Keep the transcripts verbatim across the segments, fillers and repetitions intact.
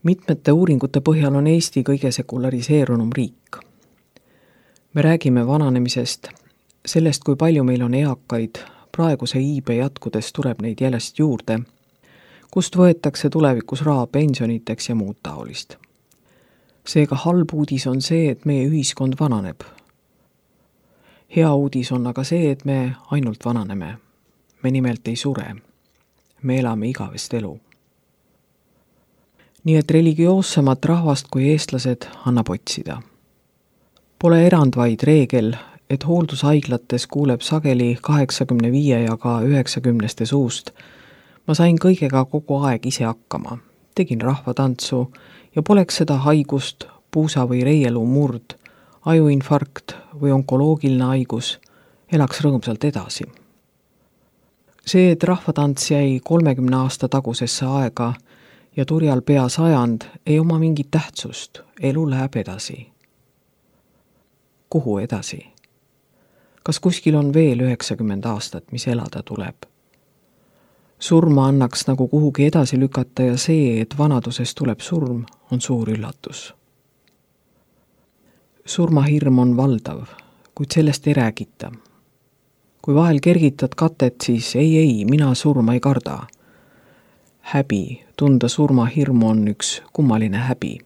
Mitmete uuringute põhjal on Eesti kõige sekulariseerunum riik. Me räägime vananemisest, sellest, kui palju meil on eakaid, praeguse iibe jätkudes tuleb neid järjest juurde, kust võetakse tulevikus raha pensioniteks ja muud taolist. Seega halb uudis on see, et meie ühiskond vananeb. Hea uudis on aga see, et me ainult vananeme. Me nimelt ei sure. Me elame igavest elu. Nii et religioossemat rahvast kui eestlased annab otsida. Pole erand vaid reegel, et hooldushaiglates kuuleb sageli kaheksakümne viie ja ka üheksakümneste suust. Ma sain kõigega kogu aeg ise hakkama. Tegin rahvatantsu ja poleks seda haigust, puusa või reielu murd, ajuinfarkt või onkoloogiline haigus, elaks rõõmsalt edasi. See, et rahvatants jäi kolmekümne aasta tagusesse aega ja turjal pea sajand, ei oma mingit tähtsust, elu läheb edasi. Kuhu edasi? Kas kuskil on veel üheksakümmend aastat, mis elada tuleb? Surma annaks nagu kuhugi edasi lükata ja see, et vanaduses tuleb surm, on suur üllatus. Surmahirm on valdav, kuid sellest ei räägita. Kui vahel kergitad katet, siis ei, ei, mina surma ei karda. Häbi, tunda surmahirmu on üks kummaline häbi.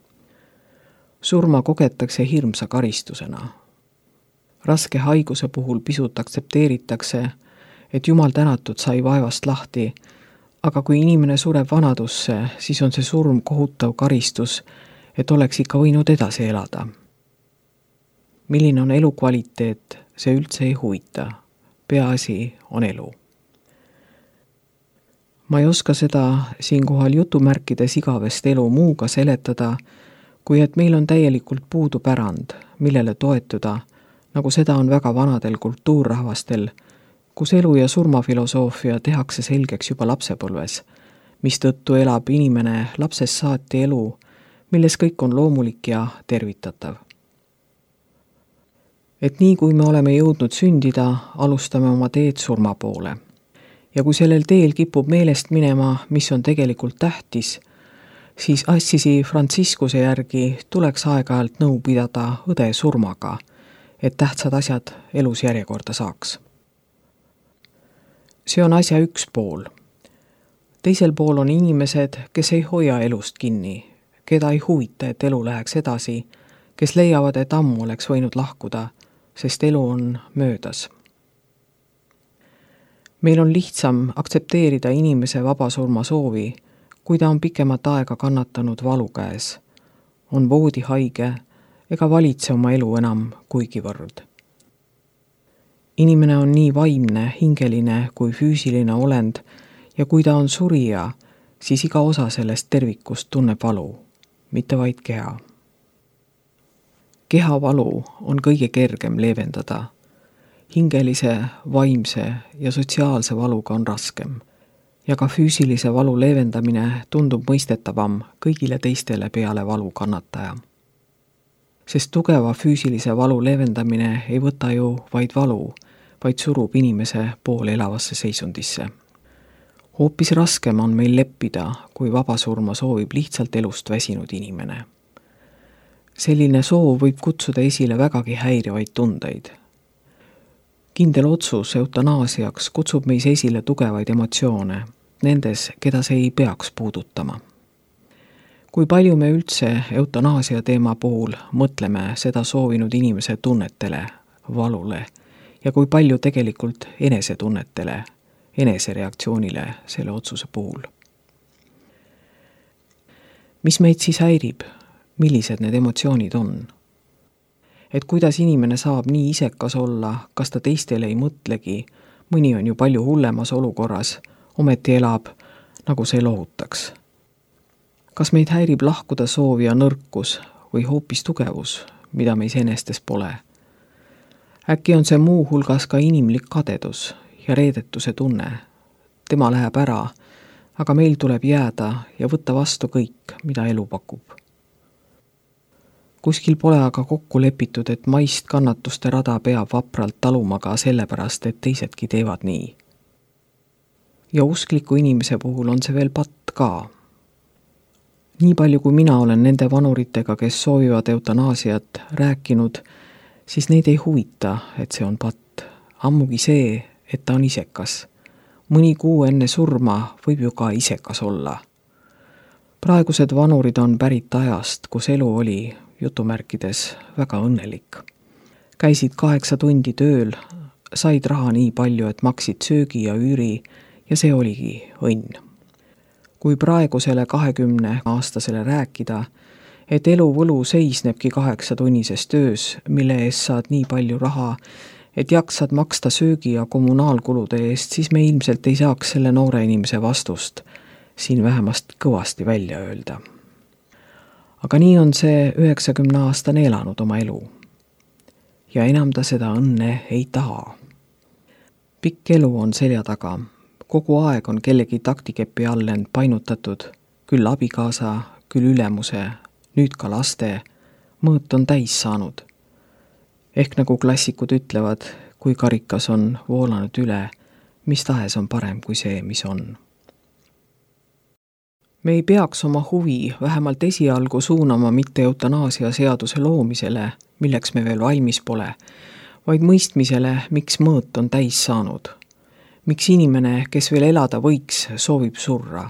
Surma kogetakse hirmsa karistusena. Raske haiguse puhul pisut aktsepteeritakse, et jumal tänatud sai vaevast lahti, aga kui inimene sureb vanadusse, siis on see surm kohutav karistus, et oleks ikka võinud edasi elada. Milline on elukvaliteet, see üldse ei huvita. Peaasi on elu. Ma ei oska seda siinkohal jutumärkides igavest elu muuga seletada, kui et meil on täielikult puudu pärand, millele toetuda, nagu seda on väga vanadel kultuurrahvastel, kus elu- ja surmafilosoofia tehakse selgeks juba lapsepõlves, mistõttu elab inimene lapsest saati elu, milles kõik on loomulik ja tervitatav. Et nii kui me oleme jõudnud sündida, alustame oma teed surma poole. Ja kui sellel teel kipub meelest minema, mis on tegelikult tähtis, siis Assisi Frantsiskuse järgi tuleks aeg-ajalt nõu pidada õde surmaga, et tähtsad asjad elus järjekorda saaks. See on asja üks pool. Teisel pool on inimesed, kes ei hoia elust kinni, keda ei huvita, et elu läheks edasi, kes leiavad, et ammu oleks võinud lahkuda, sest elu on möödas. Meil on lihtsam aktsepteerida inimese vabasurma soovi, kui ta on pikemat aega kannatanud valu käes, on voodihaige ega valitse oma elu enam kuigivõrd. Inimene on nii vaimne, hingeline kui füüsiline olend ja kui ta on surija, siis iga osa sellest tervikust tunneb valu, mitte vaid keha. Kehavalu on kõige kergem leevendada. Hingelise, vaimse ja sotsiaalse valuga on raskem. Ja ka füüsilise valu leevendamine tundub mõistetavam kõigile teistele peale valu kannataja. Sest tugeva füüsilise valu leevendamine ei võta ju vaid valu, vaid surub inimese pool elavasse seisundisse. Hoopis raskem on meil leppida, kui vabasurma soovib lihtsalt elust väsinud inimene. Selline soov võib kutsuda esile vägagi häirivaid tundeid. Kindel otsus eutanaasiaks kutsub meis esile tugevaid emotsioone, nendes, keda see ei peaks puudutama. Kui palju me üldse eutanaasia teema puhul mõtleme seda soovinud inimese tunnetele, valule ja kui palju tegelikult enesetunnetele, enesereaktsioonile selle otsuse puhul. Mis meid siis häirib? Millised need emotsioonid on? Et kuidas inimene saab nii isekas olla, kas ta teistele ei mõtlegi, mõni on ju palju hullemas olukorras, ometi elab, nagu see lohutaks. Kas meid häirib lahkuda soov ja nõrkus või hoopis tugevus, mida meis enestes pole? Äkki on see muu hulgas ka inimlik kadedus ja reedetuse tunne. Tema läheb ära, aga meil tuleb jääda ja võtta vastu kõik, mida elu pakub. Kuskil pole aga kokku lepitud, et maist kannatuste rada peab vapralt taluma ka sellepärast, et teisedki teevad nii. Ja uskliku inimese puhul on see veel patt ka. Nii palju, kui mina olen nende vanuritega, kes soovivad eutanaasiat, rääkinud, siis neid ei huvita, et see on patt. Ammugi see, et ta on isekas. Mõni kuu enne surma võib ju ka isekas olla. Praegused vanurid on pärit ajast, kus elu oli, jutumärkides, väga õnnelik. Käisid kaheksa tundi tööl, said raha nii palju, et maksid söögi ja üüri ja see oligi õnn. Kui praegusele kahekümne aastasele rääkida, et elu võlu seisnebki kaheksatunnises töös, mille eest saad nii palju raha, et jaksad maksta söögi ja kommunaalkulude eest, siis me ilmselt ei saaks selle noore inimese vastust siin vähemasti kõvasti välja öelda. Aga nii on see üheksakümne aastane elanud oma elu. Ja enam ta seda õnne ei taha. Pikk elu on selja taga. Kogu aeg on kellegi taktikepi all end painutatud, küll abikaasa, küll ülemuse, nüüd ka laste, mõõt on täis saanud. Ehk nagu klassikud ütlevad, kui karikas on voolanud üle, mis tahes on parem kui see, mis on. Me ei peaks oma huvi vähemalt esialgu suunama mitte eutanaasia seaduse loomisele, milleks me veel valmis pole, vaid mõistmisele, miks mõõt on täis saanud. Miks inimene, kes veel elada võiks, soovib surra.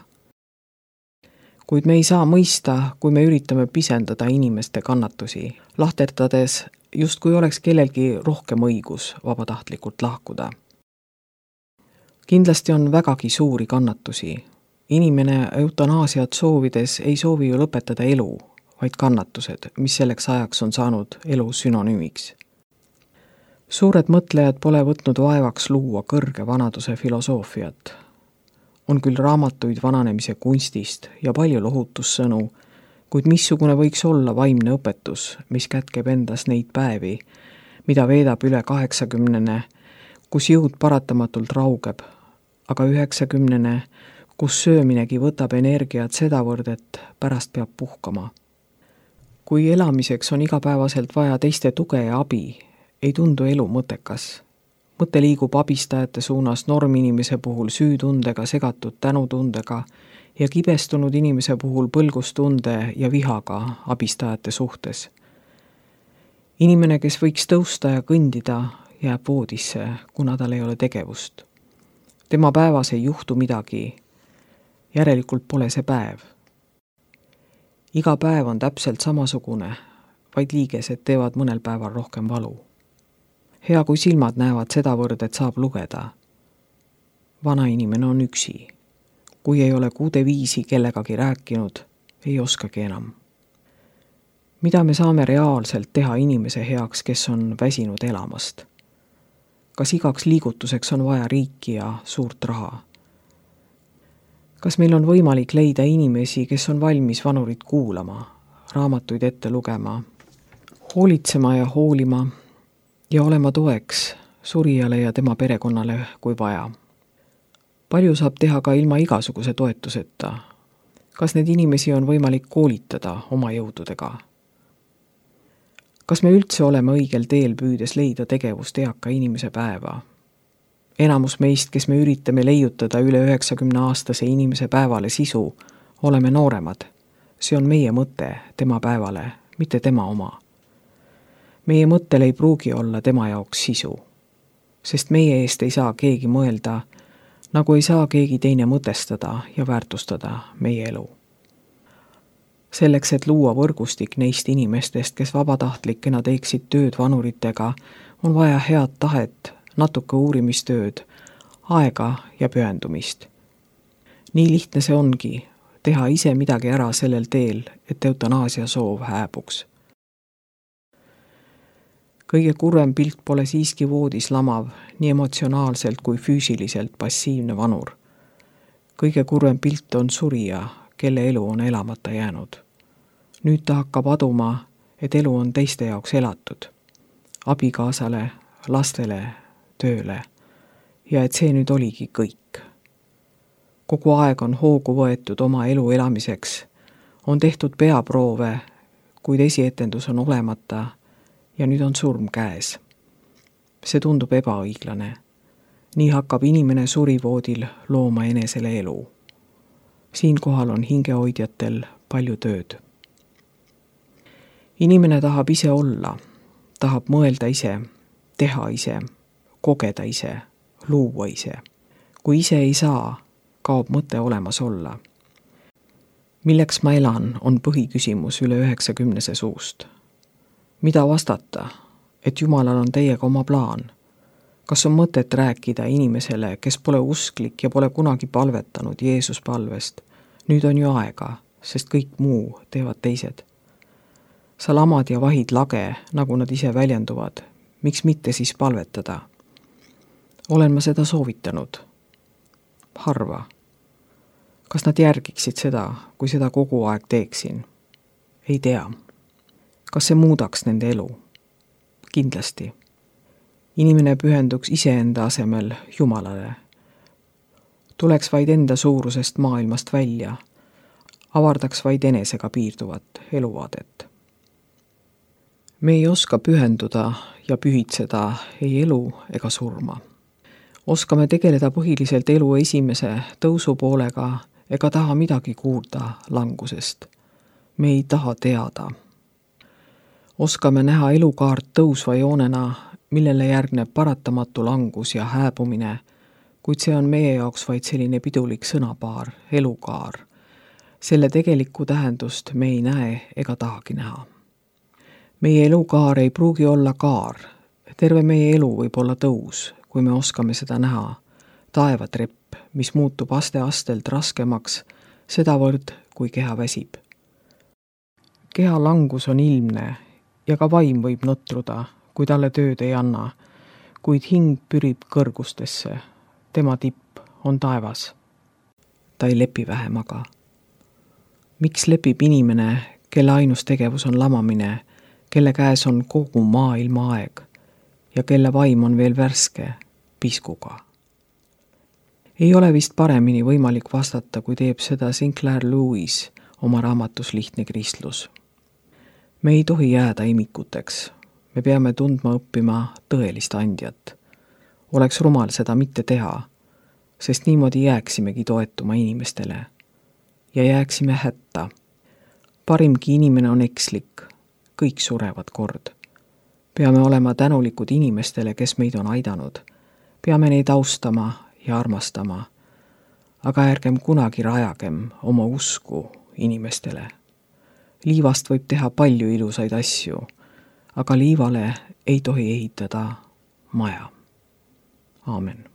Kuid me ei saa mõista, kui me üritame pisendada inimeste kannatusi, lahterdades just kui oleks kellelgi rohkem õigus vabatahtlikult lahkuda. Kindlasti on vägagi suuri kannatusi. Inimene eutanaasiat soovides ei soovi ju lõpetada elu, vaid kannatused, mis selleks ajaks on saanud elu sünonüümiks. Suured mõtlejad pole võtnud vaevaks luua kõrge vanaduse filosoofiat. On küll raamatuid vananemise kunstist ja palju lohutussõnu, kuid missugune võiks olla vaimne õpetus, mis kätkeb endas neid päevi, mida veedab üle kaheksakümnene, kus jõud paratamatult raugeb, aga üheksakümnene, kus sööminegi võtab energiat sedavõrd, et pärast peab puhkama. Kui elamiseks on igapäevaselt vaja teiste tuge ja abi, ei tundu elu mõttekas. Mõte liigub abistajate suunas norminimese puhul süütundega segatud tänutundega ja kibestunud inimese puhul põlgustunde ja vihaga abistajate suhtes. Inimene, kes võiks tõusta ja kõndida, jääb voodisse, kuna tal ei ole tegevust. Tema päevas ei juhtu midagi, järelikult pole see päev. Iga päev on täpselt samasugune, vaid liigesed teevad mõnel päeval rohkem valu. Hea, kui silmad näevad sedavõrd, et saab lugeda. Vana inimene on üksi. Kui ei ole kuude viisi kellegagi rääkinud, ei oskagi enam. Mida me saame reaalselt teha inimese heaks, kes on väsinud elamast? Kas igaks liigutuseks on vaja riiki ja suurt raha? Kas meil on võimalik leida inimesi, kes on valmis vanurit kuulama, raamatuid ette lugema, hoolitsema ja hoolima, ja olema toeks surijale ja tema perekonnale, kui vaja. Palju saab teha ka ilma igasuguse toetuseta. Kas need inimesi on võimalik koolitada oma jõududega? Kas me üldse oleme õigel teel püüdes leida tegevust eaka inimese päeva? Enamus meist, kes me üritame leiutada üle üheksakümne aastase inimese päevale sisu, oleme nooremad. See on meie mõte tema päevale, mitte tema oma. Meie mõttel ei pruugi olla tema jaoks sisu, sest meie eest ei saa keegi mõelda, nagu ei saa keegi teine mõtestada ja väärtustada meie elu. Selleks, et luua võrgustik neist inimestest, kes vabatahtlikena teeksid tööd vanuritega, on vaja head tahet, natuke uurimistööd, aega ja pühendumist. Nii lihtne see ongi, teha ise midagi ära sellel teel, et eutanaasia soov hääbuks. Kõige kurvem pilt pole siiski voodis lamav, nii emotsionaalselt kui füüsiliselt passiivne vanur. Kõige kurvem pilt on surija, kelle elu on elamata jäänud. Nüüd ta hakkab aduma, et elu on teiste jaoks elatud. Abikaasale, lastele, tööle. Ja et see nüüd oligi kõik. Kogu aeg on hoogu võetud oma elu elamiseks. On tehtud peaproove, kuid esietendus on olemata ja nüüd on surm käes. See tundub ebaõiglane. Nii hakkab inimene surivoodil looma enesele elu. Siinkohal on hingehoidjatel palju tööd. Inimene tahab ise olla, tahab mõelda ise, teha ise, kogeda ise, luua ise. Kui ise ei saa, kaob mõte olemas olla. Milleks ma elan, on põhiküsimus üle üheksakümnese suust. Mida vastata, et Jumalal on teiega oma plaan? Kas on mõtet rääkida inimesele, kes pole usklik ja pole kunagi palvetanud Jeesus palvest? Nüüd on ju aega, sest kõik muu teevad teised. Sa lamad ja vahid lage, nagu nad ise väljenduvad. Miks mitte siis palvetada? Olen ma seda soovitanud? Harva. Kas nad järgiksid seda, kui seda kogu aeg teeksin? Ei tea. Kas see muudaks nende elu? Kindlasti. Inimene pühenduks iseenda asemel Jumalale. Tuleks vaid enda suurusest maailmast välja. Avardaks vaid enesega piirduvat eluvaadet. Me ei oska pühenduda ja pühitseda ei elu ega surma. Oskame tegeleda põhiliselt elu esimese tõusupoolega ega taha midagi kuulda langusest. Me ei taha teada. Oskame näha elukaart tõusva joonena, millele järgneb paratamatu langus ja hääbumine, kuid see on meie jaoks vaid selline pidulik sõnapaar, elukaar. Selle tegelikku tähendust me ei näe ega tahagi näha. Meie elukaar ei pruugi olla kaar. Terve meie elu võib olla tõus, kui me oskame seda näha. Taevatrepp, mis muutub aste-astelt raskemaks, sedavõrd, kui keha väsib. Keha langus on ilmne ja ka vaim võib nutruda, kui talle tööd ei anna, kuid hing pürib kõrgustesse. Tema tipp on taevas. Ta ei lepi vähem aga. Miks lepib inimene, kelle ainus tegevus on lamamine, kelle käes on kogu maailma aeg ja kelle vaim on veel värske piskuga? Ei ole vist paremini võimalik vastata, kui teeb seda Sinclair Lewis oma raamatus Lihtne kristlus. Me ei tohi jääda imikuteks. Me peame tundma õppima tõelist andjat. Oleks rumal seda mitte teha, sest niimoodi jääksimegi toetuma inimestele ja jääksime hätta. Parimgi inimene on ekslik, kõik surevad kord. Peame olema tänulikud inimestele, kes meid on aidanud. Peame neid austama ja armastama, aga ärgem kunagi rajagem oma usku inimestele. Liivast võib teha palju ilusaid asju, aga liivale ei tohi ehitada maja. Aamen.